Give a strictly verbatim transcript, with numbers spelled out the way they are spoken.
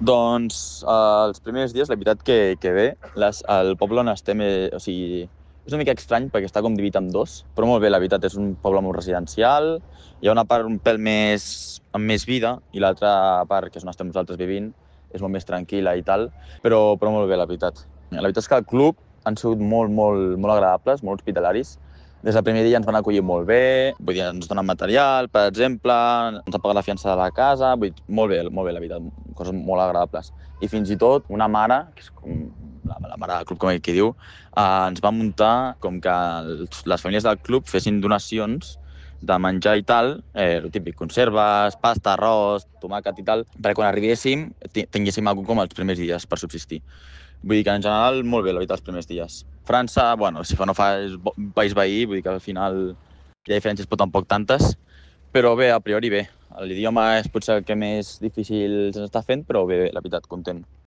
Doncs eh, els primers dies, la veritat que, que bé, les, el poble on estem, eh, o sigui, és una mica estrany perquè està com dividit en dos, però molt bé, la veritat, és un poble molt residencial, hi ha una part un pèl més, amb més vida i l'altra part, que és on estem nosaltres vivint, és molt més tranquil·la i tal, però, però molt bé, la veritat. La veritat és que el club han sigut molt, molt, molt agradables, molt hospitalaris. Des del primer dia ens van acollir molt bé, vull dir, ens donen material, per exemple, ens han pagat la fiança de la casa, vull dir, molt bé, molt bé, la veritat, coses molt agradables. I fins i tot una mare, que és com la, la mare del club, com ell qui diu, eh, ens va muntar com que els, les famílies del club fessin donacions de menjar i tal, eh, el típic, conserves, pasta, arròs, tomàquet i tal, perquè quan arribéssim tinguéssim alguna com els primers dies per subsistir. Vull dir que en general molt bé, la veritat, els primers dies. França, bueno, si fa no fa és un país veí, vull dir que al final hi ha diferències però tampoc tantes, però bé, a priori bé. L'idioma és potser el que més difícil se'ns està fent, però bé, la veritat, content.